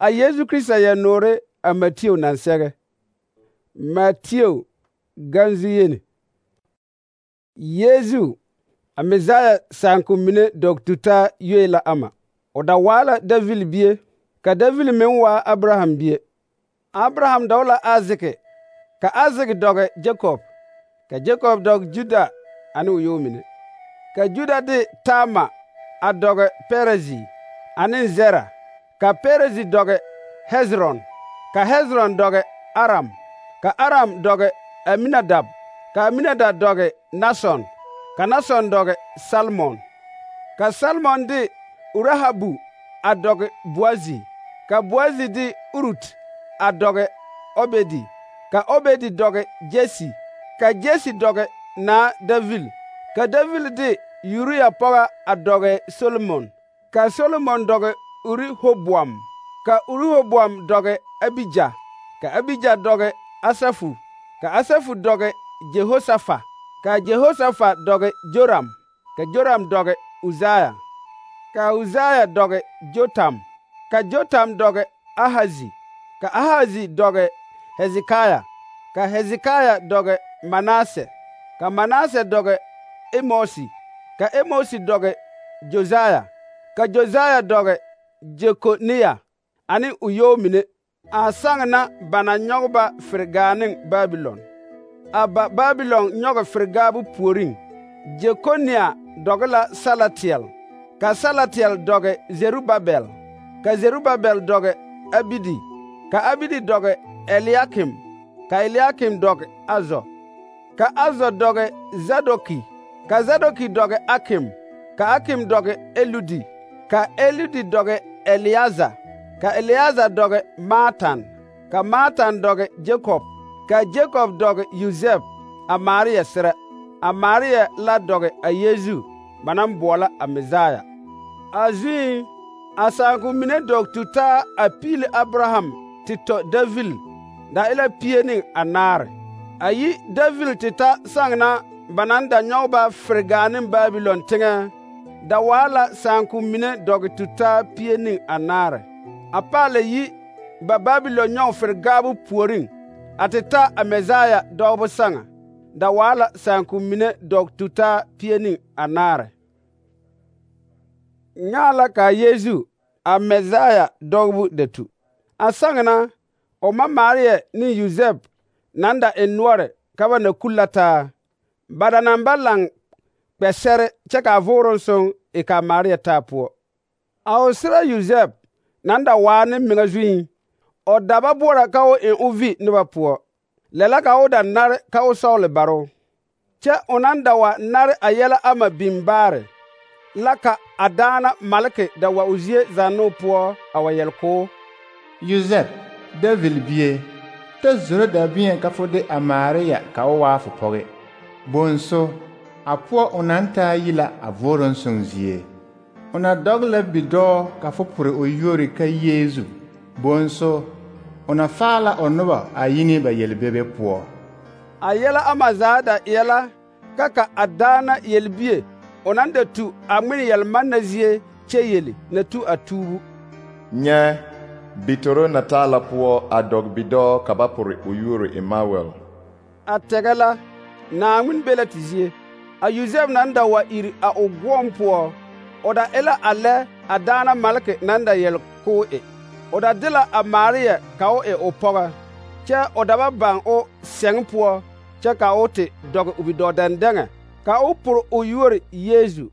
A Yesu Krista yɛ noore a Mateo naŋ sɛge. Mateo ganzu yeni. Yesu a Mesaya sããko mine dɔg tutaa yoe la ama. O da waa la Davil bie, ka Davil meŋ waa Abraham bie. Abraham dɔg la Azeke, ka Azeke dɔge Jakob, ka Jakob dɔg Juda ane o yɔɔ mine. Ka Juda de Taama a dɔge Perezi ane Zera, ka Perezi dɔge Hezron, ka Hezron dɔge Aram, ka Aram dɔge Aminadab, ka Aminadab dɔge Nason, ka Nason dɔge Salmon, ka Salmon de Urahabu a dɔge Boazi, ka Boazi de Urut a dɔge Obedi, ka Obedi dɔge Jesi, ka Jesi dɔge naa Davil, ka Davil de Uriya pɔga a dɔge Solomon, ka Solomon dɔge Urihoboam, ka Urihoboam dɔge Abija, ka Abija dɔge Asafu, ka Asafu dɔge Jehosafa, ka Jehosafa dɔge Joram, ka Joram dɔge Uzaya, ka Uzaya dɔge Jotam, ka Jotam dɔge Ahazi, ka Ahazi dɔge Hezekaya, ka Hezekaya dɔge Manase, ka Manase dɔge Emosi, ka Emosi dɔge Josaya, ka Josaya dɔge Jekoniya ane o yɔɔ mine, a sãŋ na ba na nyɔge ba fere ne Babilon. A ba Babilon nyɔge fere-gaabo puoriŋ. Jekoniya dɔge la Salatiel, ka Salatiel dɔge Zerubabel, ka Zerubabel dɔge Abidi, ka Abidi dɔge Eliakim, ka Eliakim dɔge Azo, ka Azo dɔge Zadoki, ka Zadoki dɔge Akim, ka Akim dɔge Eludi, ka Eludi dɔge Eliaza, ka Eliaza dɔge Matan, ka Matan dɔge Jakob, ka Jakob dɔge Yosef a Maria serɛ, a Maria la dɔge a Yesu ba naŋ boɔlɔ a Mesaya. A zuŋ, a sããko mine dɔg tutaa a piili Abraham te tɔ Davil da e la 200. A yi Davil te ta sãŋ na ba naŋ da nyɔge ba fere-gaa ne Babilon teŋɛ, da waa la sããko mine dɔg tutaa 200. A paa la yi ba Babilon nyɔge fere-gaabo puoriŋ a te ta a Mesaya dɔgebo sãŋa, da waa la sããko mine dɔg tutaa 200. Nyãa la ka Yesu a Mesaya dɔgebo da tu. A sãŋ na o ma Maria ne Yosef naŋ da eŋ noɔre ka ba na kulla taa, ba da naŋ ba laŋ kpɛsɛre kyɛ ka a vooroŋ soŋ e ka Maria taa poɔ. A o serɛ Yosef naŋ da waa ne meŋa zuiŋ, o da ba boɔra ka o eŋ o vi noba poɔ. Lɛ la ka o da nare ka o sɔgele baro. Kyɛ o naŋ da wa nare a yɛlɛ ama biŋ baare, la ka a daana maleke da wa o zie zannoo poɔ a wa yɛle k'o: Yosef, Davil bie, ta zoro daabɛ̃ɛ ka fo de a Maria ka o waa fo pɔge. Bonso, a poɔ o naŋ taa yi la a vooroŋ soŋ zie. O na dɔge la bidɔɔ ka fo pore o yuori ka Yeezu. Bonso, o na faa la o noba a yi ne ba yelbebe poɔ. A yɛlɛ ama zaa da eɛ la ka a daana yelbie o naŋ da tu a ŋmene yɛlmanna zie kyɛ yeli na tu a tuubu. Nyɛ, bitoro na taa la poɔ a dɔg bidɔɔ ka ba pore o yuori Emmanuel. A tɛgɛ la, Naaŋmen be la te zie. A Yosef naŋ da wa iri a o goɔŋ poɔ, o da e la a lɛ a daana maleke naŋ da yɛle k'o e. O da de la a Maria ka o e o pɔga, kyɛ o da ba baŋ o sɛŋ poɔ kyɛ ka o te dɔge o bidɔɔ dɛndɛŋɛ, ka o pore o yuori Yeezu.